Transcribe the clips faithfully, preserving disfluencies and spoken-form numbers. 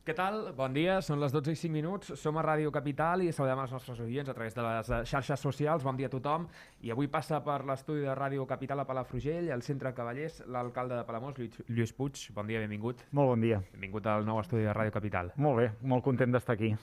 Què tal? Bon dia, són les dotze i cinc minuts, som a Ràdio Capital i saludem els nostres oients a través de les xarxes socials. Bon dia a tothom. I avui passa per l'estudi de Ràdio Capital a Palafrugell, al centre Cavallers, l'alcalde de Palamós, Lluís Puig. Bon dia, benvingut. Molt bon dia. Benvingut al nou estudi de Ràdio Capital. Molt bé, molt content d'estar aquí.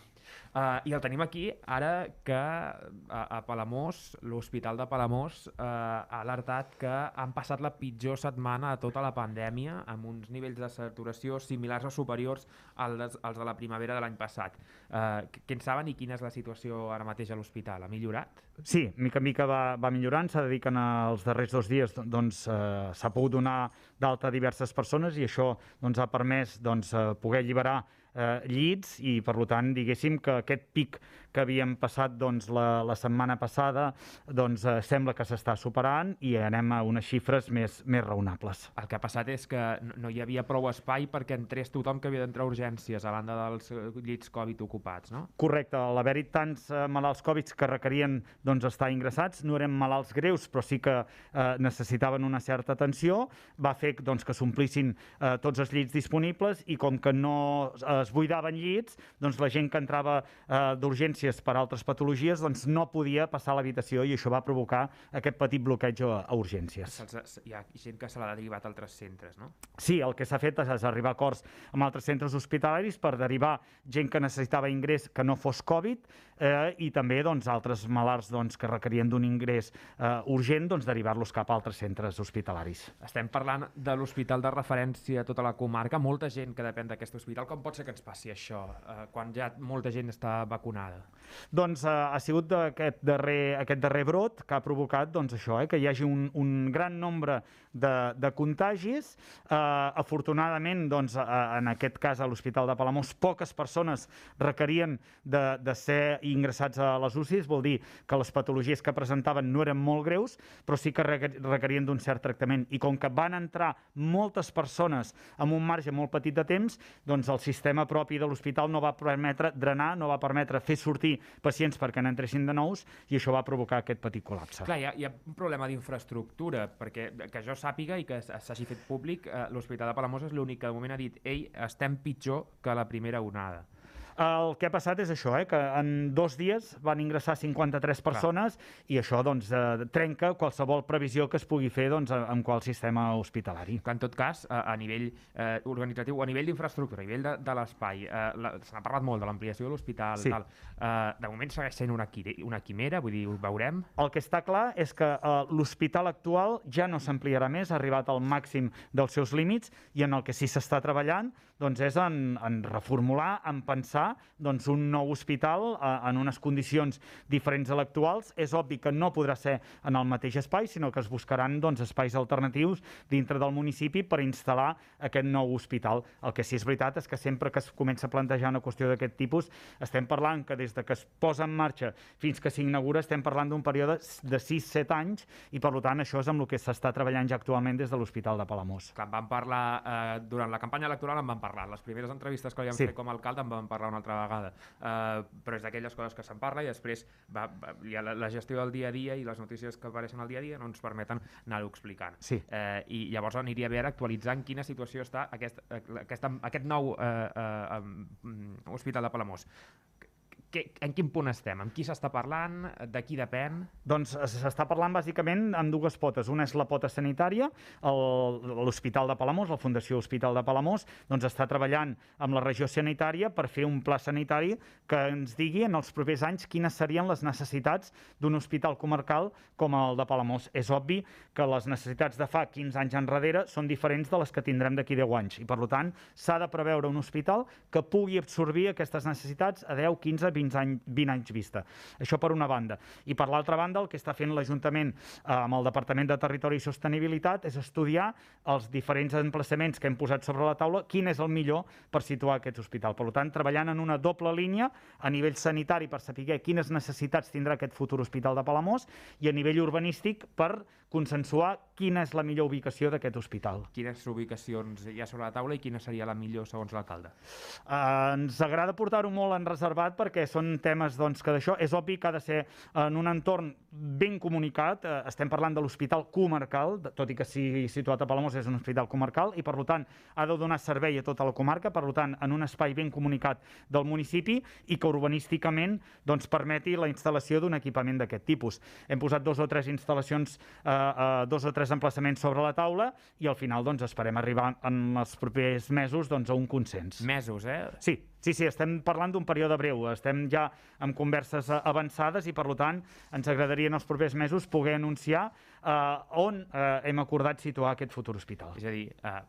Uh, I el tenim aquí ara que a, a Palamós, l'Hospital de Palamós, uh, ha alertat que han passat la pitjor setmana de tota la pandèmia, amb uns nivells de saturació similars o superiors als els de la primavera de l'any passat. Uh, què en saben i quina és la situació ara mateix a l'hospital? Ha millorat? Sí, mica en mica va, va millorant. S'ha de dir que en els darrers dos dies doncs, eh, s'ha pogut donar d'alta a diverses persones i això doncs, ha permès doncs, eh, poder alliberar eh, llits i, per tant, diguéssim que aquest pic que havíem passat doncs, la, la setmana passada doncs, eh, sembla que s'està superant i anem a unes xifres més, més raonables. El que ha passat és que no hi havia prou espai perquè entrés tothom que havia d'entrar a urgències a banda dels llits Covid ocupats, no? Correcte. Al haver-hi tants eh, malalts Covid que requerien doncs, estar ingressats, no eren malalts greus, però sí que eh, necessitaven una certa atenció, va fer doncs, que s'omplissin eh, tots els llits disponibles i com que no es buidaven llits, doncs la gent que entrava eh, d'urgències per altres patologies doncs, no podia passar a l'habitació i això va provocar aquest petit bloqueig a, a urgències. Hi ha gent que se l'ha derivat a altres centres, no? Sí, el que s'ha fet és arribar a acords amb altres centres hospitalaris per derivar gent que necessitava ingrés que no fos Covid eh, i també doncs, altres malalts doncs, que requerien d'un ingrés eh, urgent, doncs, derivar-los cap a altres centres hospitalaris. Estem parlant de l'hospital de referència a tota la comarca, molta gent que depèn d'aquest hospital. Com pot ser que ens passi això eh, quan ja molta gent està vacunada? Doncs eh, ha sigut aquest darrer, aquest darrer brot que ha provocat doncs, això, eh, que hi hagi un, un gran nombre de, de contagis. Eh, afortunadament, doncs, eh, en aquest cas a l'Hospital de Palamós, poques persones requerien de, de ser ingressats a les U C Is, vol dir que les patologies que presentaven no eren molt greus, però sí que requerien d'un cert tractament. I com que van entrar moltes persones amb un marge molt petit de temps, doncs el sistema propi de l'hospital no va permetre drenar, no va permetre fer sortir pacients perquè n'entressin de nous i això va provocar aquest petit col·lapse. Clar, hi ha, hi ha un problema d'infraestructura, perquè que jo sàpiga i que s'hagi fet públic, eh, l'Hospital de Palamós és l'únic que de moment ha dit ei, estem pitjor que la primera onada. El que ha passat és això, eh, que en dos dies van ingressar cinquanta-tres persones. Clar. I això doncs, eh, trenca qualsevol previsió que es pugui fer doncs, amb qual sistema hospitalari. En tot cas, a, a nivell eh, organitzatiu, a nivell d'infraestructura, a nivell de, de l'espai, eh, se n'ha parlat molt de l'ampliació de l'hospital, sí. tal. Eh, de moment segueix sent una, una quimera, vull dir, ho veurem. El que està clar és que eh, l'hospital actual ja no s'ampliarà més, ha arribat al màxim dels seus límits i en el que sí s'està treballant doncs, és en, en reformular, en pensar doncs, un nou hospital eh, en unes condicions diferents a l'actuals. És obvi que no podrà ser en el mateix espai, sinó que es buscaran doncs, espais alternatius dintre del municipi per instal·lar aquest nou hospital. El que sí és veritat és que sempre que es comença a plantejar una qüestió d'aquest tipus, estem parlant que des de que es posa en marxa fins que s'inaugura estem parlant d'un període de sis set anys i per tant això és amb el que s'està treballant ja actualment des de l'Hospital de Palamós. Clar, en vam parlar, eh, durant la campanya electoral en vam parlar, les primeres entrevistes que li vam sí. fer com a alcalde en vam parlar una altra vegada, uh, però és d'aquelles coses que se'n parla i després va, va, hi ha la, la gestió del dia a dia i les notícies que apareixen al dia a dia no ens permeten anar-ho explicant. Sí. Uh, I llavors aniria bé actualitzar en quina situació està aquest, aquest, aquest nou uh, uh, um, Hospital de Palamós. Que, en quin punt estem? Amb qui s'està parlant? De qui depèn? Doncs s'està parlant bàsicament amb dues potes. Una és la pota sanitària, l'Hospital de Palamós, la Fundació Hospital de Palamós, doncs està treballant amb la regió sanitària per fer un pla sanitari que ens digui en els propers anys quines serien les necessitats d'un hospital comarcal com el de Palamós. És obvi que les necessitats de fa quinze anys enrere són diferents de les que tindrem d'aquí deu anys i per tant s'ha de preveure un hospital que pugui absorbir aquestes necessitats a deu, quinze, vint anys, vint anys vista. Això per una banda. I per l'altra banda, el que està fent l'Ajuntament eh, amb el Departament de Territori i Sostenibilitat és estudiar els diferents emplaçaments que hem posat sobre la taula, quin és el millor per situar aquest hospital. Per tant, treballant en una doble línia a nivell sanitari per saber quines necessitats tindrà aquest futur hospital de Palamós i a nivell urbanístic per consensuar quina és la millor ubicació d'aquest hospital. Quines ubicacions hi ha sobre la taula i quina seria la millor segons l'alcalde? Uh, ens agrada portar-ho molt en reservat perquè són temes doncs, que d'això és obvi que ha de ser en un entorn ben comunicat. Uh, estem parlant de l'hospital comarcal, tot i que sigui situat a Palamós és un hospital comarcal i per tant ha de donar servei a tota la comarca, per tant en un espai ben comunicat del municipi i que urbanísticament doncs, permeti la instal·lació d'un equipament d'aquest tipus. Hem posat dos o tres instal·lacions, eh, eh, dos o tres emplaçaments sobre la taula i al final doncs, esperem arribar en els propers mesos doncs, a un consens. Mesos, eh? Sí, sí, sí, estem parlant d'un període breu, estem ja amb converses avançades i per tant ens agradaria en els propers mesos poder anunciar eh, on eh, hem acordat situar aquest futur hospital. És a dir, eh,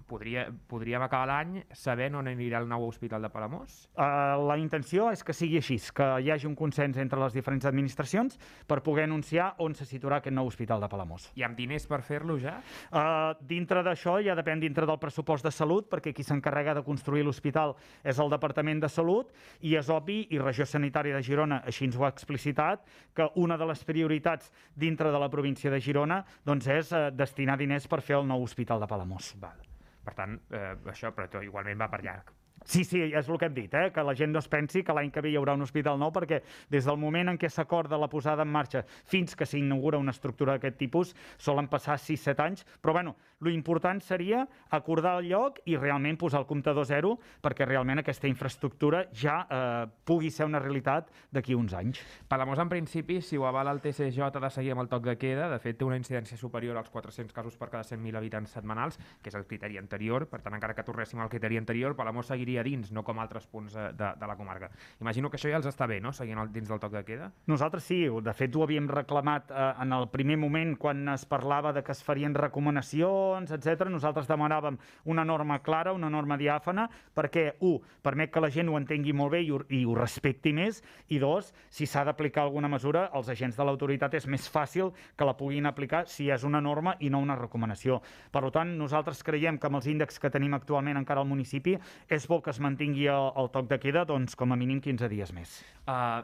Podria, podríem acabar l'any sabent on anirà el nou hospital de Palamós? Uh, la intenció és que sigui així, que hi hagi un consens entre les diferents administracions per poder anunciar on se situarà aquest nou hospital de Palamós. I amb diners per fer-lo ja? Uh, dintre d'això ja depèn dintre del pressupost de salut, perquè qui s'encarrega de construir l'hospital és el Departament de Salut, i és obvi, i Regió Sanitària de Girona així ens ho ha explicitat, que una de les prioritats dintre de la província de Girona doncs, és uh, destinar diners per fer el nou hospital de Palamós. Val. Per tant, eh, això però igualment va per llarg. Sí, sí, és el que hem dit, eh? Que la gent no es pensi que l'any que ve hi haurà un hospital nou, perquè des del moment en què s'acorda la posada en marxa fins que s'inaugura una estructura d'aquest tipus solen passar sis set anys, però bueno, lo important seria acordar el lloc i realment posar el comptador zero perquè realment aquesta infraestructura ja eh, pugui ser una realitat d'aquí uns anys. Palamós, en principi, si ho avala el T C J, ha de seguir amb el toc de queda. De fet, té una incidència superior als quatre-cents casos per cada cent mil habitants setmanals, que és el criteri anterior. Per tant, encara que tornéssim al criteri anterior, Palamós seguiria dins, no com altres punts de, de la comarca. Imagino que això ja els està bé, no?, seguint el, dins del toc de queda. Nosaltres sí, de fet ho havíem reclamat eh, en el primer moment quan es parlava de que es farien recomanacions, etcètera. Nosaltres demanàvem una norma clara, una norma diàfana, perquè, u, permet que la gent ho entengui molt bé i ho, i ho respecti més, i dos, si s'ha d'aplicar alguna mesura, els agents de l'autoritat és més fàcil que la puguin aplicar si és una norma i no una recomanació. Per tant, nosaltres creiem que amb els índexs que tenim actualment encara al municipi és bo que es mantingui el, el toc de queda doncs, com a mínim quinze dies més. Uh,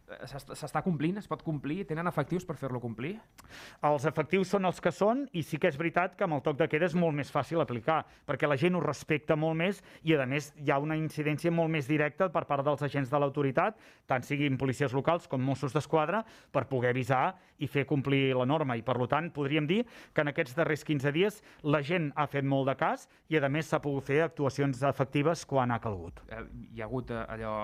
S'està complint? Es pot complir? Tenen efectius per fer-lo complir? Els efectius són els que són i sí que és veritat que amb el toc de queda és molt més fàcil aplicar, perquè la gent ho respecta molt més i, a més, hi ha una incidència molt més directa per part dels agents de l'autoritat, tant siguin policies locals com Mossos d'Esquadra, per poder avisar i fer complir la norma. I, per tant, podríem dir que en aquests darrers quinze dies la gent ha fet molt de cas i, a més, s'ha pogut fer actuacions efectives quan ha calgut. Eh, hi ha hagut eh, allò,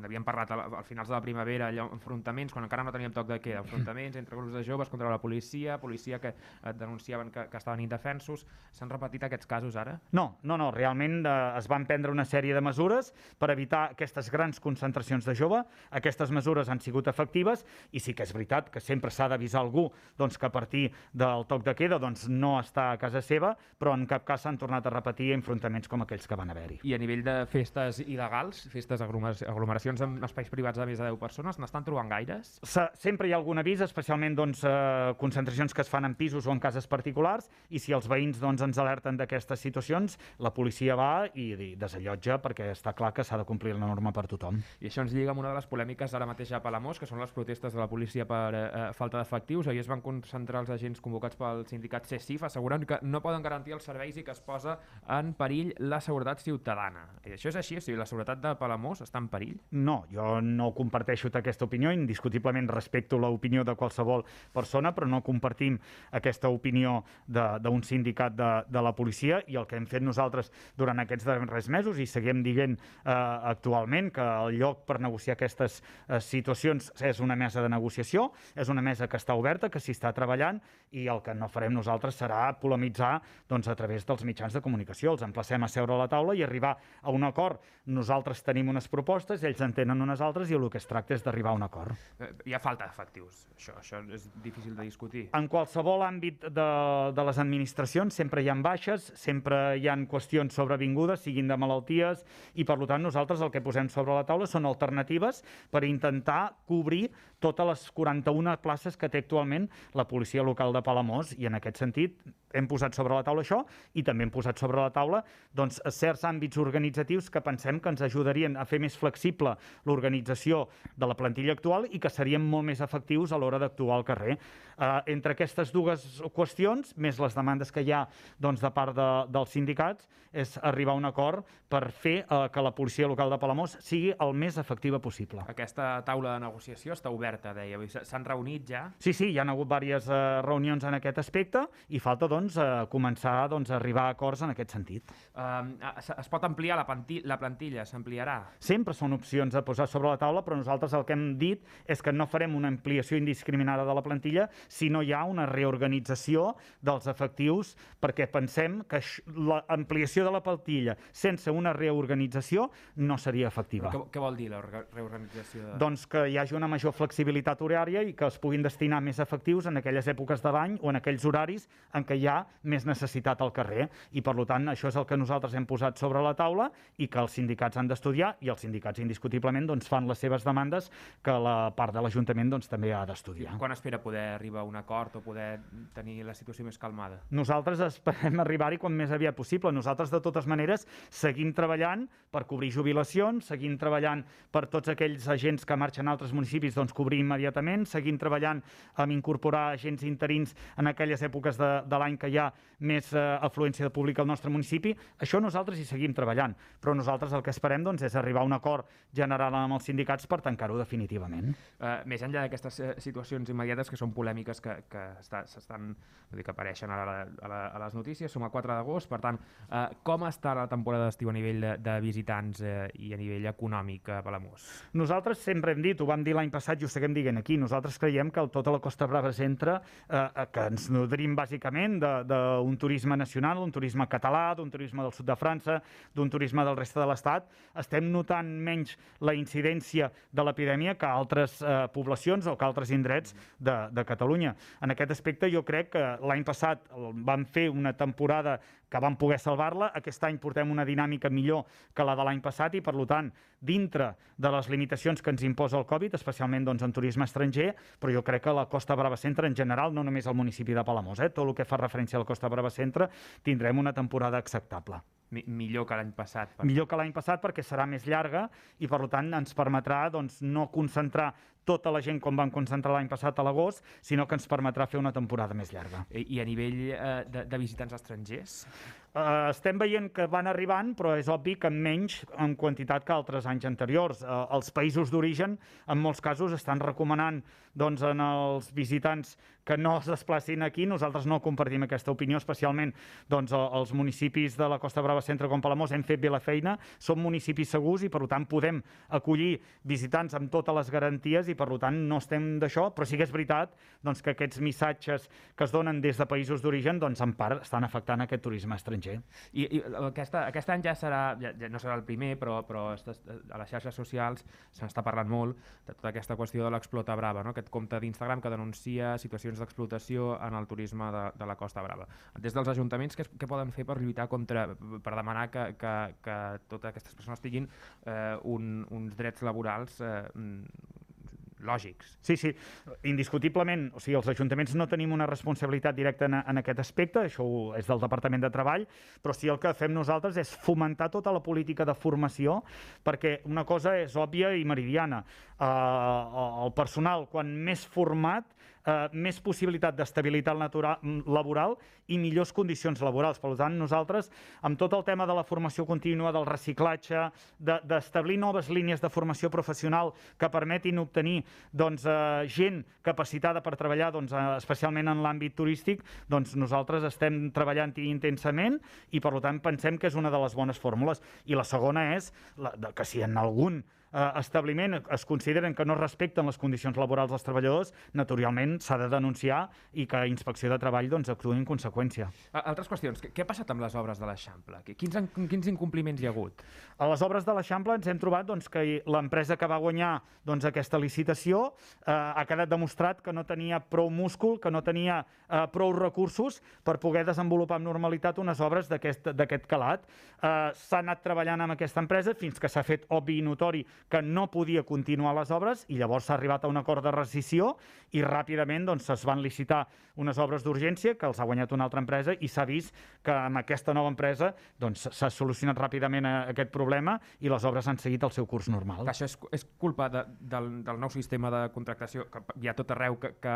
n'havíem parlat al, al finals de la primavera, allò enfrontaments, quan encara no teníem toc de queda, enfrontaments entre grups de joves contra la policia, policia que et denunciaven que, que estaven indefensos. S'han repetit aquests casos ara? No, no, no. Realment eh, es van prendre una sèrie de mesures per evitar aquestes grans concentracions de jove. Aquestes mesures han sigut efectives i sí que és veritat que sempre s'ha d'avisar algú doncs, que a partir del toc de queda doncs, no està a casa seva, però en cap cas s'han tornat a repetir enfrontaments com aquells que van haver-hi. I a nivell de festes il·legals, festes aglomeracions amb espais privats de més de deu persones, n'estan trobant gaires? Sempre hi ha algun avís, especialment doncs, eh, concentracions que es fan en pisos o en cases particulars, i si els veïns doncs, ens alerten d'aquestes situacions, la policia va i desallotja perquè està clar que s'ha de complir la norma per tothom. I això ens lliga amb una de les polèmiques ara mateix a Palamós, que són les protestes de la policia per eh, falta d'efectius. Ahir es van concentrar els agents convocats pel sindicat C S I F assegurant que no poden garantir els serveis i que es posa en perill la seguretat ciutadana. I això és així? O sigui, la seguretat de Palamós està en perill? No, jo no comparteixo aquesta opinió, indiscutiblement respecto l'opinió de qualsevol persona, però no compartim aquesta opinió d'un sindicat de, de la policia, i el que hem fet nosaltres durant aquests darrers mesos, i seguim dient eh, actualment que el lloc per negociar aquestes eh, situacions és una mesa de negociació, és una mesa que està oberta, que s'hi està treballant, i el que no farem nosaltres serà polemitzar doncs, a través dels mitjans de comunicació. Els emplacem a seure a la taula i arribar a un acord. Nosaltres tenim unes propostes, ells en tenen unes altres, i el que es tracta és d'arribar a un acord. Hi ha falta d'efectius, això, això és difícil de discutir. En qualsevol àmbit de, de les administracions sempre hi ha baixes, sempre hi ha qüestions sobrevingudes, siguin de malalties, i per tant nosaltres el que posem sobre la taula són alternatives per intentar cobrir totes les quaranta-una places que té actualment la policia local de Palamós, i en aquest sentit hem posat sobre la taula això, i també hem posat sobre la taula doncs, certs àmbits organitzatius que pensem que ens ajudarien a fer més flexible l'organització de la plantilla plantilla actual i que serien molt més efectius a l'hora d'actuar al carrer. Uh, entre aquestes dues qüestions, més les demandes que hi ha doncs, de part de, dels sindicats, és arribar a un acord per fer uh, que la policia local de Palamós sigui el més efectiva possible. Aquesta taula de negociació està oberta, deia. S'han reunit ja? Sí, sí, hi ha hagut diverses uh, reunions en aquest aspecte i falta doncs, uh, començar doncs, a arribar a acords en aquest sentit. Uh, es pot ampliar la, la plantilla? S'ampliarà? Sempre són opcions a posar sobre la taula, però nosaltres el que hem dit és que no farem una ampliació indiscriminada de la plantilla si no hi ha una reorganització dels efectius, perquè pensem que l'ampliació de la plantilla sense una reorganització no seria efectiva. Què, què vol dir la reorganització? De... Doncs que hi hagi una major flexibilitat horària i que es puguin destinar més efectius en aquelles èpoques de l'any o en aquells horaris en què hi ha més necessitat al carrer. I, per tant, això és el que nosaltres hem posat sobre la taula i que els sindicats han d'estudiar i els sindicats indiscutiblement doncs, fan les seves demandes que la part de l'Ajuntament doncs, també ha d'estudiar. Quan espera poder arribar a un acord o poder tenir la situació més calmada? Nosaltres esperem arribar-hi quan més aviat possible. Nosaltres, de totes maneres, seguim treballant per cobrir jubilacions, seguim treballant per tots aquells agents que marxen a altres municipis, doncs cobrir immediatament, seguim treballant amb incorporar agents interins en aquelles èpoques de, de l'any que hi ha més eh, afluència de públic al nostre municipi. Això nosaltres hi seguim treballant, però nosaltres el que esperem doncs, és arribar a un acord general amb els sindicats per tancar-ho definitivament. Uh, més enllà d'aquestes situacions immediates que són polèmiques que, que s'estan, vull dir, que apareixen a, la, a, la, a les notícies, som a quatre d'agost, per tant, uh, com està la temporada d'estiu a nivell de, de visitants uh, i a nivell econòmic a Palamós? Nosaltres sempre hem dit, ho vam dir l'any passat i ho seguim dient aquí, nosaltres creiem que el, tota la Costa Brava centre, eh, que ens nodrim bàsicament d'un turisme nacional, d'un turisme català, d'un turisme del sud de França, d'un turisme del reste de l'Estat, estem notant menys la incidència de l'epidèmia que altres eh, poblacions o que altres indrets de, de Catalunya. En aquest aspecte jo crec que l'any passat vam fer una temporada que vam poder salvar-la. Aquest any portem una dinàmica millor que la de l'any passat i, per tant, dintre de les limitacions que ens imposa el Covid, especialment doncs, en turisme estranger, però jo crec que la Costa Brava Centre en general, no només el municipi de Palamós, eh, tot el que fa referència a la Costa Brava Centre, tindrem una temporada acceptable. Mi millor que l'any passat. Per... Millor que l'any passat perquè serà més llarga i, per tant, ens permetrà doncs, no concentrar tota la gent com vam concentrar l'any passat a l'agost, sinó que ens permetrà fer una temporada més llarga. I, i a nivell eh, de, de visitants estrangers? Uh, estem veient que van arribant, però és obvi que menys en quantitat que altres anys anteriors. Uh, els països d'origen, en molts casos, estan recomanant doncs, en els visitants que no es desplacin aquí. Nosaltres no compartim aquesta opinió, especialment doncs, els municipis de la Costa Brava Centre com Palamós hem fet bé la feina, som municipis segurs i per tant podem acollir visitants amb totes les garanties i per tant no estem d'això, però sí que és veritat doncs, que aquests missatges que es donen des de països d'origen doncs, en part estan afectant aquest turisme estranger. I, i aquesta, aquest any ja serà, ja, ja no serà el primer, però, però a les xarxes socials se n'està parlant molt de tota aquesta qüestió de l'Explota Brava, no? Aquest compte d'Instagram que denuncia situacions d'explotació en el turisme de, de la Costa Brava. Des dels ajuntaments, què, què poden fer per lluitar contra, per demanar que, que, que totes aquestes persones tinguin eh, un, uns drets laborals eh, lògics? Sí, sí, indiscutiblement, o sigui, els ajuntaments no tenim una responsabilitat directa en, en aquest aspecte, això és del Departament de Treball, però sí el que fem nosaltres és fomentar tota la política de formació, perquè una cosa és òbvia i meridiana. Uh, el personal, quan més format, uh, més possibilitat d'estabilitat laboral i millors condicions laborals. Per tant, nosaltres, amb tot el tema de la formació contínua, del reciclatge, d'establir de, noves línies de formació professional que permetin obtenir doncs, eh, gent capacitada per treballar doncs, eh, especialment en l'àmbit turístic, doncs nosaltres estem treballant-hi intensament i per tant pensem que és una de les bones fórmules. I la segona és la, de, que si en algun eh, establiment es consideren que no respecten les condicions laborals dels treballadors, naturalment s'ha de denunciar i que Inspecció de Treball doncs, actuï en conseqüència. Altres qüestions. Què ha passat amb les obres de l'Eixample? Quins, quins incompliments hi ha hagut? A les obres de l'Eixample ens hem trobat doncs, que l'empresa que va guanyar doncs, aquesta licitació eh, ha quedat demostrat que no tenia prou múscul, que no tenia eh, prou recursos per poder desenvolupar amb normalitat unes obres d'aquest calat. Eh, s'ha anat treballant amb aquesta empresa fins que s'ha fet obvi i notori que no podia continuar les obres i llavors s'ha arribat a un acord de rescisió i ràpidament doncs, es van licitar unes obres d'urgència que els ha guanyat una altra empresa i s'ha vist que amb aquesta nova empresa doncs, s'ha solucionat ràpidament aquest problema i les obres han seguit el seu curs normal. Això és, és culpa de, del, del nou sistema de contractació que hi ha tot arreu que, que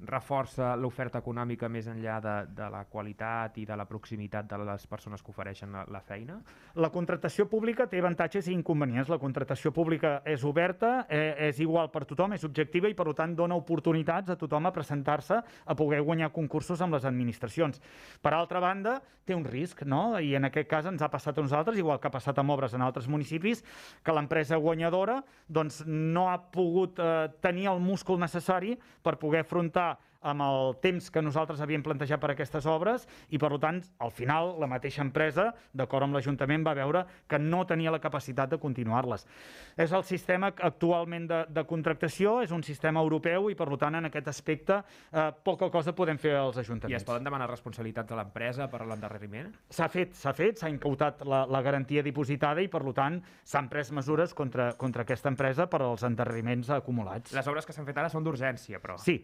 reforça l'oferta econòmica més enllà de, de la qualitat i de la proximitat de les persones que ofereixen la, la feina? La contractació pública té avantatges i inconvenients. La contractació pública és oberta, eh, és igual per tothom, és objectiva i per tant dona oportunitats a tothom a presentar-se a poder guanyar concursos amb les administracions. Per altra banda, té un risc, no? I en aquest cas ens ha passat a nosaltres, igual que ha passat amb obres en altres municipis, que l'empresa guanyadora doncs, no ha pogut eh, tenir el múscul necessari per poder afrontar amb el temps que nosaltres havíem plantejat per aquestes obres i, per tant, al final, la mateixa empresa, d'acord amb l'Ajuntament, va veure que no tenia la capacitat de continuar-les. És el sistema actualment de, de contractació, és un sistema europeu i, per tant, en aquest aspecte, eh, poca cosa podem fer als ajuntaments. I es poden demanar responsabilitats a l'empresa per l'endarreriment? S'ha fet, s'ha fet, s'ha incautat la, la garantia dipositada i, per tant, s'han pres mesures contra, contra aquesta empresa per als endarreriments acumulats. Les obres que s'han fet ara són d'urgència, però... Sí,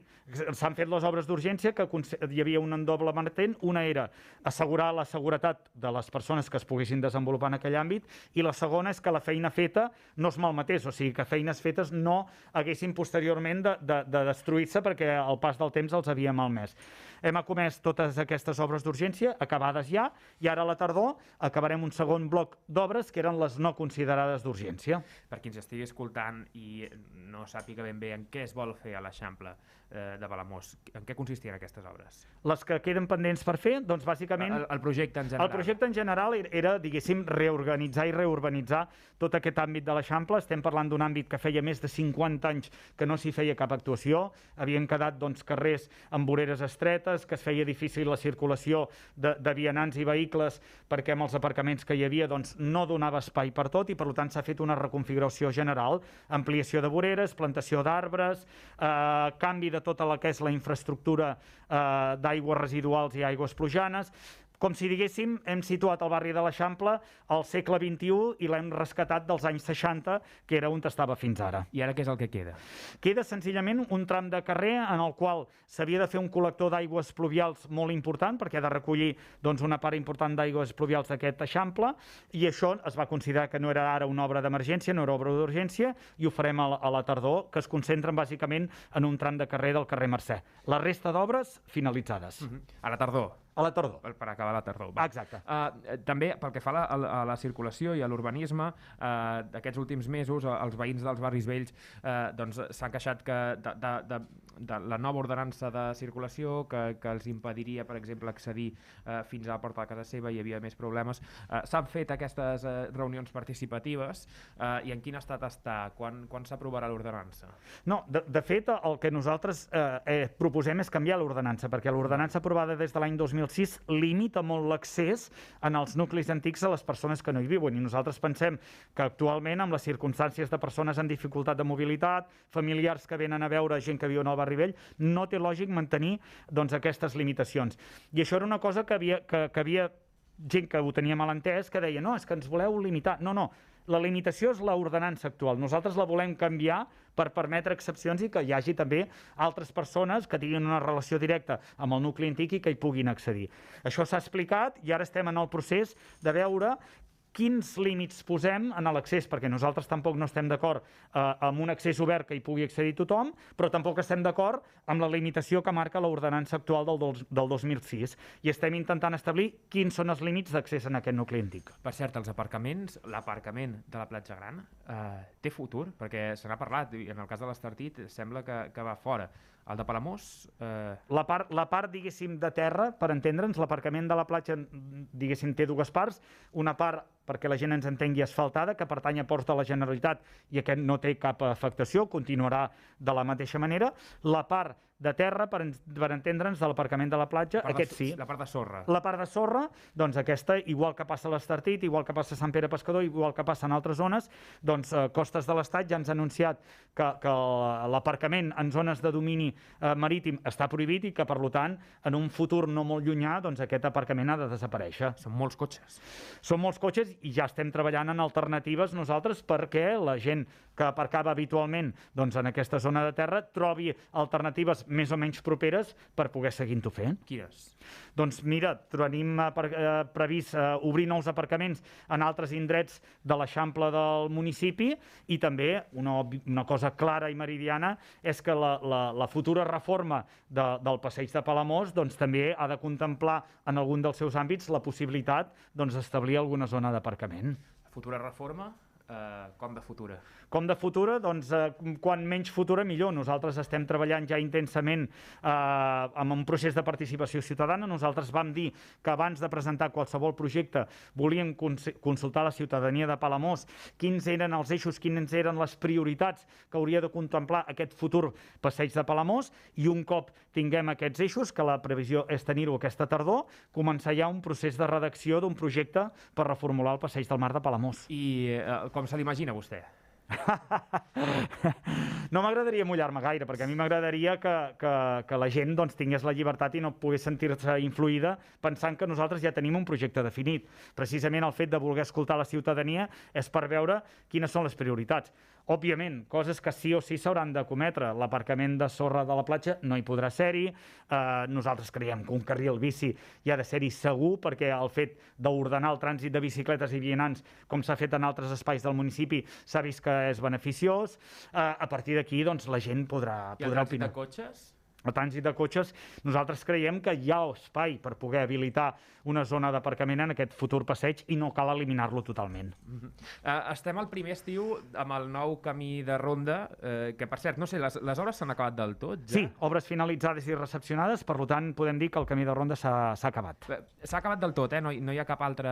s'han fet les obres d'urgència que hi havia un doble vertent. Una era assegurar la seguretat de les persones que es poguessin desenvolupar en aquell àmbit i la segona és que la feina feta no es malmetés, o sigui que feines fetes no haguessin posteriorment de, de, de destruir-se perquè al pas del temps els havia malmès. Hem acomès totes aquestes obres d'urgència, acabades ja, i ara a la tardor acabarem un segon bloc d'obres que eren les no considerades d'urgència. Per qui ens estigui escoltant i no sàpiga ben bé en què es vol fer a l'Eixample eh, de Palamós, en què consistien aquestes obres? Les que queden pendents per fer, doncs bàsicament... El, el projecte en general. El projecte en general era, diguéssim, reorganitzar i reurbanitzar tot aquest àmbit de l'Eixample. Estem parlant d'un àmbit que feia més de cinquanta anys que no s'hi feia cap actuació. Havien quedat doncs, carrers amb voreres estretes, que es feia difícil la circulació de, de vianants i vehicles perquè amb els aparcaments que hi havia doncs, no donava espai per tot i per tant s'ha fet una reconfiguració general, ampliació de voreres, plantació d'arbres, eh, canvi de tota la que és la infraestructura eh, d'aigües residuals i aigües plujanes. Com si diguéssim, hem situat el barri de l'Eixample al segle vint-i-u i l'hem rescatat dels anys seixanta, que era on estava fins ara. I ara què és el que queda? Queda senzillament un tram de carrer en el qual s'havia de fer un col·lector d'aigües pluvials molt important, perquè ha de recollir doncs, una part important d'aigües pluvials d'aquest Eixample, i això es va considerar que no era ara una obra d'emergència, no era obra d'urgència, i ho farem a la, a la tardor, que es concentren bàsicament en un tram de carrer del carrer Mercè. La resta d'obres finalitzades. Uh-huh. A la tardor? A la tardor. Per, per acabar la tardor. Va. Exacte. Uh, també, pel que fa a la, a la circulació i a l'urbanisme, uh, d'aquests últims mesos, els veïns dels barris vells uh, doncs, s'han queixat que de, de, de, de la nova ordenança de circulació que, que els impediria, per exemple, accedir uh, fins a la porta de casa seva, hi havia més problemes. Uh, S'han fet aquestes uh, reunions participatives uh, i en quin estat està? Quan, quan s'aprovarà l'ordenança? No, de, de fet, el que nosaltres eh, eh, proposem és canviar l'ordenança, perquè l'ordenança aprovada des de l'any dos mil sis limita molt l'accés en els nuclis antics a les persones que no hi viuen i nosaltres pensem que actualment amb les circumstàncies de persones amb dificultat de mobilitat, familiars que venen a veure gent que viu en el barri vell, no té lògic mantenir doncs, aquestes limitacions. I això era una cosa que havia, que, que havia gent que ho tenia mal entès, que deia no, és que ens voleu limitar. No, no, la limitació és l'ordenança actual. Nosaltres la volem canviar per permetre excepcions i que hi hagi també altres persones que tinguin una relació directa amb el nucli antic i que hi puguin accedir. Això s'ha explicat i ara estem en el procés de veure quins límits posem en l'accés, perquè nosaltres tampoc no estem d'acord eh, amb un accés obert que hi pugui accedir tothom, però tampoc estem d'acord amb la limitació que marca l'ordenança actual del, del dos mil sis. I estem intentant establir quins són els límits d'accés en aquest nucli antic. Per cert, els aparcaments, l'aparcament de la Platja Gran eh, té futur, perquè se n'ha parlat, i en el cas de l'Estartit sembla que, que va fora. El de Palamós... Eh... La part, la part, diguéssim, de terra, per entendre'ns, l'aparcament de la platja, diguéssim, té dues parts. Una part, perquè la gent ens entengui, asfaltada, que pertany a Ports de la Generalitat i aquest no té cap afectació, continuarà de la mateixa manera. La part de terra, per, per entendre'ns, de l'aparcament de la platja, la aquest sí. La part de sorra. La part de sorra, doncs aquesta, igual que passa a l'Estartit, igual que passa a Sant Pere Pescador, igual que passa en altres zones, doncs eh, Costes de l'Estat ja ens ha anunciat que, que l'aparcament en zones de domini eh, marítim està prohibit i que, per tant, en un futur no molt llunyà, doncs aquest aparcament ha de desaparèixer. Són molts cotxes. Són molts cotxes i ja estem treballant en alternatives nosaltres perquè la gent que aparcava habitualment doncs, en aquesta zona de terra trobi alternatives més o menys properes per poder seguir-ho fent. Quines? Doncs mira, tenim eh, previst eh, obrir nous aparcaments en altres indrets de l'Eixample del municipi i també una, una cosa clara i meridiana és que la, la, la futura reforma de, del passeig de Palamós doncs, també ha de contemplar en algun dels seus àmbits la possibilitat d'establir doncs, alguna zona d'aparcament. Futura reforma? Uh, com de futura? Com de futura? Doncs eh, quan menys futura millor. Nosaltres estem treballant ja intensament eh, amb un procés de participació ciutadana. Nosaltres vam dir que abans de presentar qualsevol projecte volíem cons consultar la ciutadania de Palamós quins eren els eixos, quines eren les prioritats que hauria de contemplar aquest futur passeig de Palamós i un cop tinguem aquests eixos, que la previsió és tenir-ho aquesta tardor, començar ja un procés de redacció d'un projecte per reformular el passeig del Mar de Palamós. I eh, com se l'imagina vostè? No m'agradaria mullar-me gaire, perquè a mi m'agradaria que, que, que la gent doncs, tingués la llibertat i no pogués sentir-se influïda pensant que nosaltres ja tenim un projecte definit. Precisament el fet de voler escoltar la ciutadania és per veure quines són les prioritats. Òbviament, coses que sí o sí s'hauran de cometre. L'aparcament de sorra de la platja no hi podrà ser-hi. Eh, nosaltres creiem que un carril bici hi ha de ser-hi segur, perquè el fet d'ordenar el trànsit de bicicletes i vianants, com s'ha fet en altres espais del municipi, s'ha vist que és beneficiós. Eh, a partir d'aquí, doncs, la gent podrà, podrà opinar. I el trànsit de cotxes? El trànsit de cotxes, nosaltres creiem que hi ha espai per poder habilitar una zona d'aparcament en aquest futur passeig i no cal eliminar-lo totalment. Uh-huh. uh, estem al primer estiu amb el nou camí de ronda, uh, que per cert, no sé, les, les obres s'han acabat del tot? Ja? Sí, obres finalitzades i recepcionades, per tant podem dir que el camí de ronda s'ha acabat. S'ha acabat del tot, eh? No, no hi ha cap altre...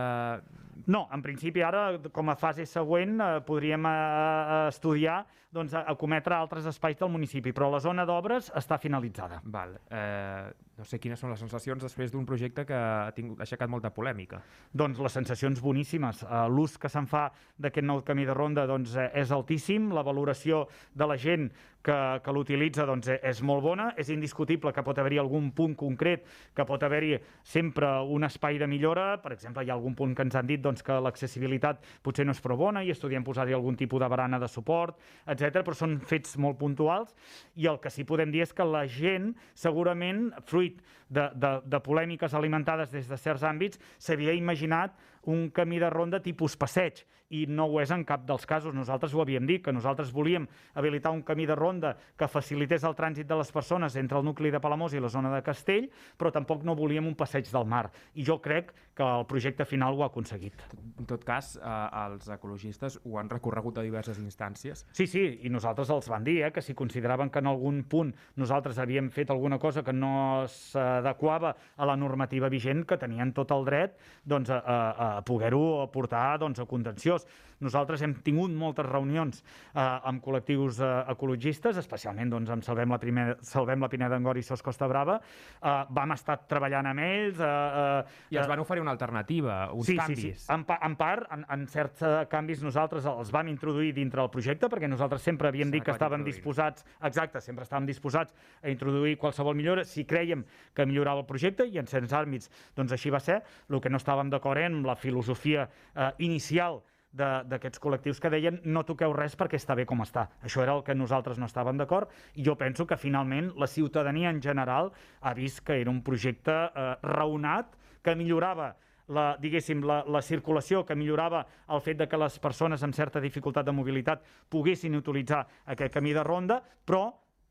No, en principi ara, com a fase següent, eh, podríem eh, estudiar doncs, acometre altres espais del municipi, però la zona d'obres està finalitzada. Val. Eh, no sé quines són les sensacions després d'un projecte que ha, tingut, ha aixecat molta polèmica. Doncs les sensacions boníssimes. Uh, L'ús que se'n fa d'aquest nou camí de ronda doncs, eh, és altíssim, la valoració de la gent que, que l'utilitza doncs, és molt bona, és indiscutible que pot haver-hi algun punt concret, que pot haver-hi sempre un espai de millora, per exemple, hi ha algun punt que ens han dit doncs, que l'accessibilitat potser no és prou bona i estudiem posar-hi algun tipus de barana de suport, etcètera, però són fets molt puntuals i el que sí podem dir és que la gent, segurament, fruit de, de, de polèmiques alimentades des de certs àmbits, s'havia imaginat un camí de ronda tipus passeig, i no ho és en cap dels casos. Nosaltres ho havíem dit, que nosaltres volíem habilitar un camí de ronda que facilités el trànsit de les persones entre el nucli de Palamós i la zona de Castell, però tampoc no volíem un passeig del mar. I jo crec que el projecte final ho ha aconseguit. En tot cas, eh, els ecologistes ho han recorregut a diverses instàncies. Sí, sí, i nosaltres els van dir eh, que si consideraven que en algun punt nosaltres havíem fet alguna cosa que no s'adequava a la normativa vigent, que tenien tot el dret doncs, a, a, a poder-ho portar doncs, a contenciós. Nosaltres hem tingut moltes reunions eh, amb col·lectius eh, ecologistes, especialment doncs, amb Salvem la, primer, Salvem la Pineda d'Angor i Sos Costa Brava. Eh, vam estar treballant amb ells. Eh, eh, I els van oferir una alternativa, uns sí, canvis. Sí, sí. En, pa, en part, en, en certs canvis nosaltres els vam introduir dintre del projecte, perquè nosaltres sempre havíem dit que estàvem disposats, exacte, sempre estàvem disposats a introduir qualsevol millora si creiem que millorava el projecte, i en certs àmbits doncs així va ser. El que no estàvem d'acord amb la filosofia eh, inicial d'aquests col·lectius que deien no toqueu res perquè està bé com està. Això era el que nosaltres no estàvem d'acord, i jo penso que finalment la ciutadania en general ha vist que era un projecte eh, raonat, que millorava la, diguéssim, la, la circulació, que millorava el fet de que les persones amb certa dificultat de mobilitat poguessin utilitzar aquest camí de ronda, però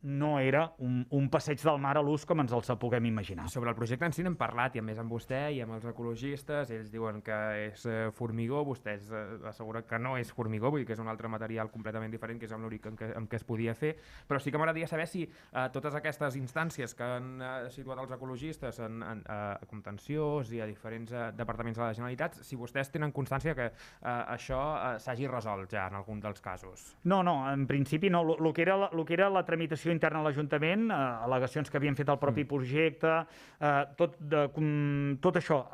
no era un, un passeig del mar a l'ús com ens el puguem imaginar. Sobre el projecte en si n'hem parlat, i a més amb vostè i amb els ecologistes, ells diuen que és eh, formigó, vostès eh, asseguren que no és formigó, vull dir que és un altre material completament diferent, que és amb l'únic en, què, en què es podia fer, però sí que m'agradaria saber si eh, totes aquestes instàncies que han eh, situat els ecologistes en, en, eh, a contenciós i a diferents eh, departaments de la Generalitat, si vostès tenen constància que eh, això eh, s'hagi resolt ja en algun dels casos. No, no, en principi no. El que era la, lo que era la tramitació documentació interna a l'Ajuntament, eh, al·legacions que havien fet el propi projecte, eh, tot, de, com, tot això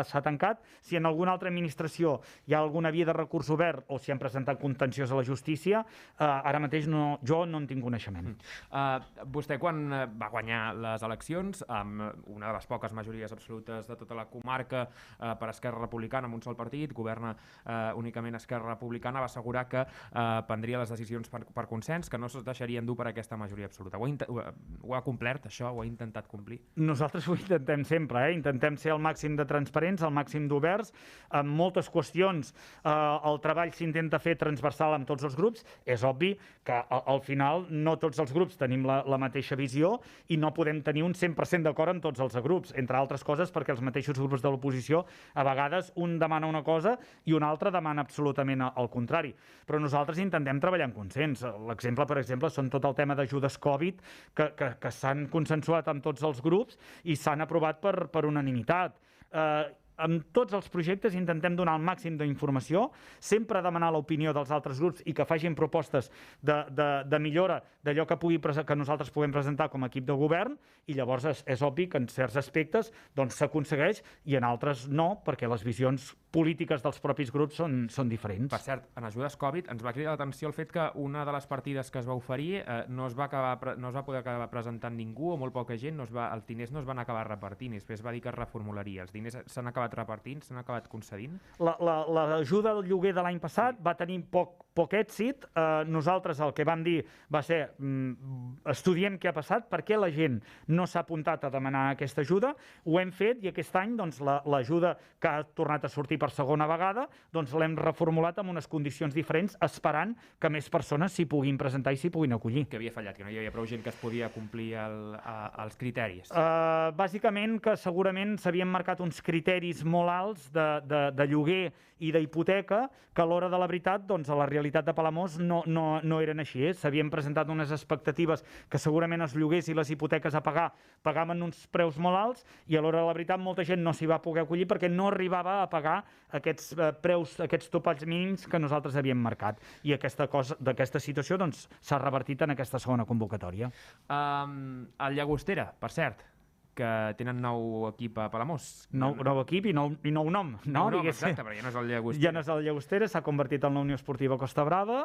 s'ha tancat. Si en alguna altra administració hi ha alguna via de recurs obert o si han presentat contenciós a la justícia, eh, ara mateix no, jo no en tinc coneixement. Mm. Uh, vostè, quan va guanyar les eleccions, amb una de les poques majories absolutes de tota la comarca uh, per Esquerra Republicana, amb un sol partit, governa uh, únicament Esquerra Republicana, va assegurar que uh, prendria les decisions per, per consens, que no es deixarien dur per aquesta majoria absoluta. Ho ha, ho, ho ha complert, això? Ho ha intentat complir? Nosaltres ho intentem sempre, eh? Intentem ser el màxim de transparents, el màxim d'oberts. En moltes qüestions eh, el treball s'intenta fer transversal amb tots els grups. És obvi que al final no tots els grups tenim la, la mateixa visió i no podem tenir un cent per cent d'acord amb tots els grups, entre altres coses perquè els mateixos grups de l'oposició a vegades un demana una cosa i un altre demana absolutament el contrari. Però nosaltres intentem treballar en consens. L'exemple, per exemple, són tot el tema d'ajudes Covid que, que, que s'han consensuat amb tots els grups i s'han aprovat per, per unanimitat. Eh, amb tots els projectes intentem donar el màxim d'informació, sempre demanar l'opinió dels altres grups i que facin propostes de, de, de millora d'allò que, pugui, que nosaltres puguem presentar com a equip de govern i llavors és, és obvi que en certs aspectes doncs, s'aconsegueix i en altres no, perquè les visions polítiques dels propis grups són, són diferents. Per cert, en ajudes Covid ens va cridar l'atenció el fet que una de les partides que es va oferir eh, no, es va acabar, no es va poder acabar presentant ningú o molt poca gent, no es va, els diners no es van acabar repartint i després va dir que es reformularia. Els diners s'han acabat repartint, s'han acabat concedint? L'ajuda al lloguer de l'any passat va tenir poc, poc èxit. Eh, nosaltres el que vam dir va ser mm, estudiem què ha passat, per què la gent no s'ha apuntat a demanar aquesta ajuda, ho hem fet i aquest any doncs, l'ajuda que ha tornat a sortir per segona vegada, doncs l'hem reformulat amb unes condicions diferents, esperant que més persones s'hi puguin presentar i s'hi puguin acollir. Que havia fallat, que no hi havia prou gent que es podia complir el, a, els criteris? Uh, bàsicament que segurament s'havien marcat uns criteris molt alts de, de, de lloguer i d'hipoteca que a l'hora de la veritat, doncs, a la realitat de Palamós no, no, no eren així. Eh? S'havien presentat unes expectatives que segurament els lloguers i les hipoteques a pagar pagaven uns preus molt alts i a l'hora de la veritat molta gent no s'hi va poder acollir perquè no arribava a pagar aquests eh, preus, aquests topalls mínims que nosaltres havíem marcat. I aquesta cosa, d'aquesta situació doncs, s'ha revertit en aquesta segona convocatòria. Um, el Llagostera, per cert, que tenen nou equip a Palamós. Nou, nou equip i nou, i nou nom. No, nou nom, exacte, però ja no és el Llagostera. Ja no és el Llagostera, s'ha convertit en la Unió Esportiva Costa Brava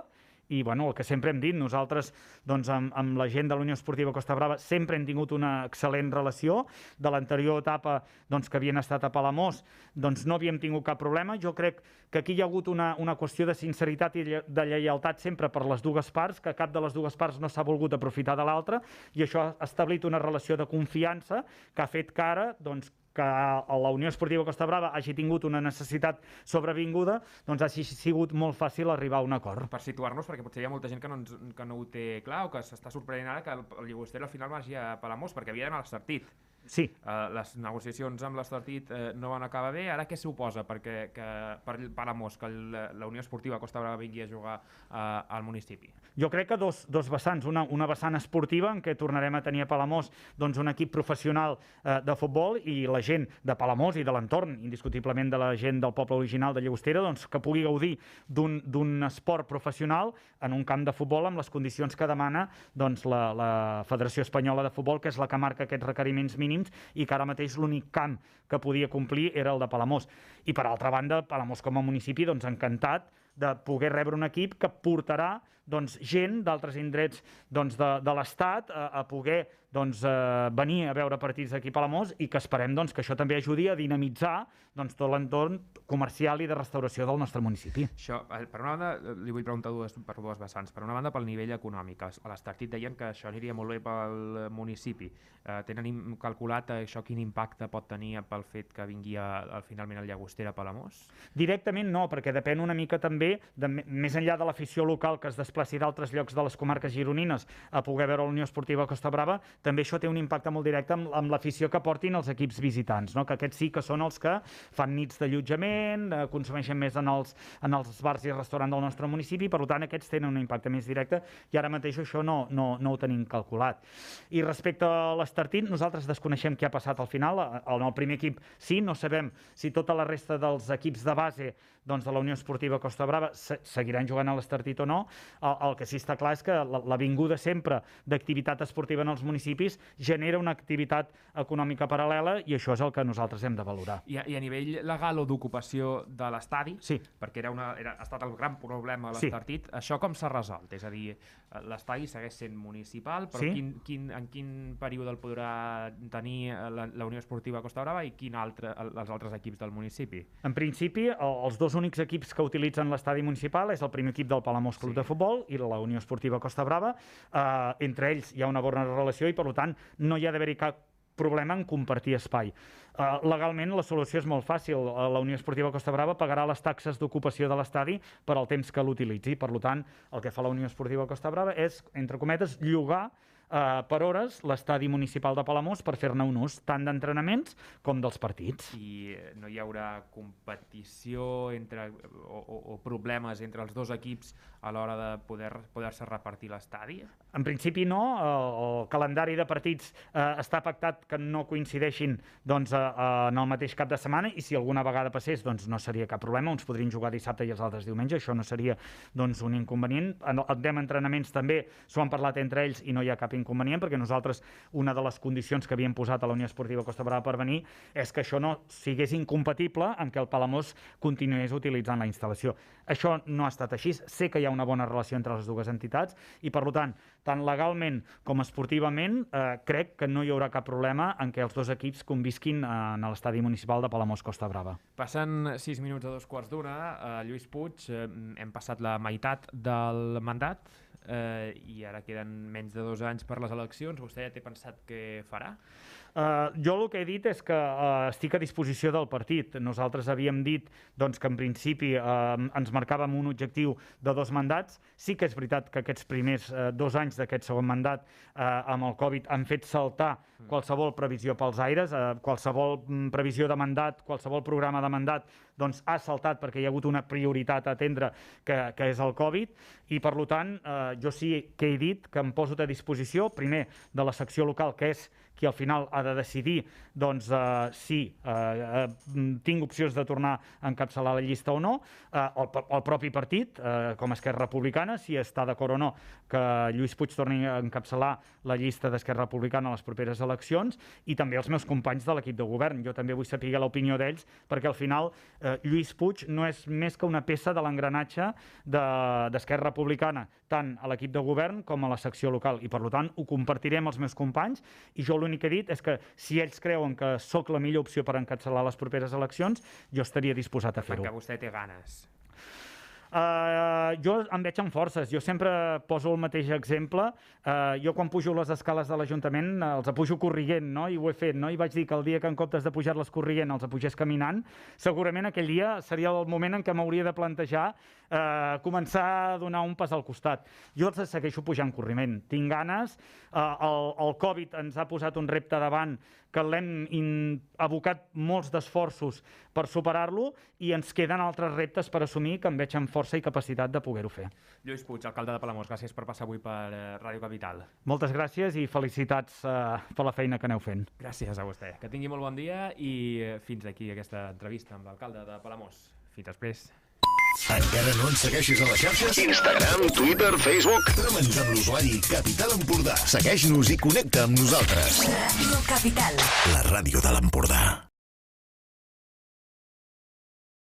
i bueno, el que sempre hem dit, nosaltres doncs, amb, amb la gent de la Unió Esportiva Costa Brava sempre hem tingut una excel·lent relació. De l'anterior etapa doncs, que havien estat a Palamós doncs, no havíem tingut cap problema. Jo crec que aquí hi ha hagut una, una qüestió de sinceritat i de lleialtat sempre per les dues parts, que cap de les dues parts no s'ha volgut aprofitar de l'altra i això ha establit una relació de confiança que ha fet que ara doncs, que la Unió Esportiva Costa Brava hagi tingut una necessitat sobrevinguda, doncs ha sigut molt fàcil arribar a un acord. Per situar-nos, perquè potser hi ha molta gent que no, ens, que no ho té clar o que s'està sorprenent ara que el, el Llagostera al final vagi a Palamós, perquè havia d'anar a l'Estartit. Sí. Uh, les negociacions amb l'Estartit uh, no van acabar bé. Ara què suposa perquè, que, per Palamós que el, la Unió Esportiva Costa Brava vingui a jugar uh, al municipi? Jo crec que dos, dos vessants. Una, una vessant esportiva en què tornarem a tenir a Palamós doncs, un equip professional uh, de futbol i la gent de Palamós i de l'entorn, indiscutiblement de la gent del poble original de Llagostera, doncs, que pugui gaudir d'un esport professional en un camp de futbol amb les condicions que demana doncs, la, la Federació Espanyola de Futbol, que és la que marca aquests requeriments mínims i que ara mateix l'únic camp que podia complir era el de Palamós. I per altra banda, Palamós com a municipi, doncs encantat de poder rebre un equip que portarà doncs, gent d'altres indrets doncs, de, de l'Estat a, a poder doncs, eh, venir a veure partits aquí a Palamós i que esperem doncs, que això també ajudi a dinamitzar doncs, tot l'entorn comercial i de restauració del nostre municipi. Això, per una banda, li vull preguntar dues, per dues vessants. Per una banda, pel nivell econòmic. A l'Estartit deien que això aniria molt bé pel municipi. Eh, tenen calculat això quin impacte pot tenir pel fet que vingui a, a, finalment el Llagostera a Palamós? Directament no, perquè depèn una mica també, de, més enllà de l'afició local que es desplaci d'altres llocs de les comarques gironines a poder veure la Unió Esportiva Costa Brava, també això té un impacte molt directe amb, amb l'afició que portin els equips visitants, no? Que aquests sí que són els que fan nits d'allotjament, eh, consumeixen més en els, en els bars i restaurants del nostre municipi, per tant aquests tenen un impacte més directe i ara mateix això no, no, no ho tenim calculat. I respecte a l'Estartit, nosaltres desconeixem què ha passat al final. En el primer equip sí, no sabem si tota la resta dels equips de base doncs, de la Unió Esportiva Costa Brava seguiran jugant a l'Estartit o no. el, el que sí està clar és que la, la vinguda sempre d'activitat esportiva en els municipis genera una activitat econòmica paral·lela i això és el que nosaltres hem de valorar. I a, i a nivell legal o d'ocupació de l'estadi, sí. perquè era una, era, ha estat el gran problema de l'Estartit, sí. això com s'ha resolt? És a dir, l'estadi segueix sent municipal, però sí. quin, quin, en quin període el podrà tenir la, la Unió Esportiva Costa Brava i quin altre, els altres equips del municipi? En principi, els dos únics equips que utilitzen l'estadi municipal és el primer equip del Palamós Club sí. de Futbol i la Unió Esportiva Costa Brava. Eh, entre ells hi ha una bona relació i, per tant, no hi ha d'haver-hi cap problema en compartir espai. Uh, legalment la solució és molt fàcil. La Unió Esportiva Costa Brava pagarà les taxes d'ocupació de l'estadi per al temps que l'utilitzi. Per tant, el que fa la Unió Esportiva Costa Brava és, entre cometes, llogar Uh, per hores l'estadi municipal de Palamós per fer-ne un ús tant d'entrenaments com dels partits. I no hi haurà competició entre, o, o, o problemes entre els dos equips a l'hora de poder, poder-se repartir l'estadi? En principi no. El, el calendari de partits uh, està pactat que no coincideixin doncs, uh, uh, en el mateix cap de setmana i si alguna vegada passés doncs, no seria cap problema. Uns podrien jugar dissabte i els altres diumenge. Això no seria doncs, un inconvenient. En el tema entrenaments també s'ho han parlat entre ells i no hi ha cap inconvenient, perquè nosaltres una de les condicions que havíem posat a la Unió Esportiva Costa Brava per venir és que això no sigués incompatible amb que el Palamós continués utilitzant la instal·lació. Això no ha estat així. Sé que hi ha una bona relació entre les dues entitats i, per tant, tant legalment com esportivament, eh, crec que no hi haurà cap problema en què els dos equips convisquin en l'estadi municipal de Palamós Costa Brava. Passen sis minuts a dos quarts d'una. Eh, Lluís Puig, eh, hem passat la meitat del mandat eh, i ara queden menys de dos anys per les eleccions. Vostè ja té pensat què farà? Uh, jo el que he dit és que uh, estic a disposició del partit. Nosaltres havíem dit doncs, que en principi uh, ens marcàvem un objectiu de dos mandats. Sí que és veritat que aquests primers uh, dos anys d'aquest segon mandat uh, amb el Covid han fet saltar qualsevol previsió pels aires, uh, qualsevol mm, previsió de mandat, qualsevol programa de mandat doncs, ha saltat perquè hi ha hagut una prioritat a atendre que, que és el Covid i per tant uh, jo sí que he dit que em poso a disposició primer de la secció local que és qui al final ha de decidir doncs, uh, si uh, uh, tinc opcions de tornar a encapçalar la llista o no, uh, el, el propi partit, uh, com a Esquerra Republicana, si està d'acord o no que Lluís Puig torni a encapçalar la llista d'Esquerra Republicana a les properes eleccions i també els meus companys de l'equip de govern. Jo també vull saber l'opinió d'ells perquè al final uh, Lluís Puig no és més que una peça de l'engranatge d'Esquerra Republicana, tant a l'equip de govern com a la secció local i per tant ho compartiré amb els meus companys i jo l'únic que he dit és que si ells creuen que sóc la millor opció per encapçalar les properes eleccions, jo estaria disposat a fer-ho. Perquè vostè té ganes. Uh, jo em veig amb forces. Jo sempre poso el mateix exemple. Uh, jo quan pujo les escales de l'Ajuntament uh, els pujo corrient, no? I ho he fet, no? I vaig dir que el dia que en comptes de pujar-les corrient els pugés caminant, segurament aquell dia seria el moment en què m'hauria de plantejar uh, començar a donar un pas al costat. Jo els segueixo pujant corriment. Tinc ganes. Uh, el, el Covid ens ha posat un repte davant que l'hem abocat molts d'esforços per superar-lo i ens queden altres reptes per assumir que em veig amb força i capacitat de poder-ho fer. Lluís Puig, alcalde de Palamós, gràcies per passar avui per Ràdio Capital. Moltes gràcies i felicitats uh, per la feina que aneu fent. Gràcies a vostè. Que tingui molt bon dia i fins aquí aquesta entrevista amb l'alcalde de Palamós. Fins després. Encara no ens segueixis a les xarxes? Instagram, Twitter, Facebook. Troba'ns amb l'usuari Capital Empordà. Segueix-nos i connecta amb nosaltres. Ràdio Capital. La ràdio de l'Empordà.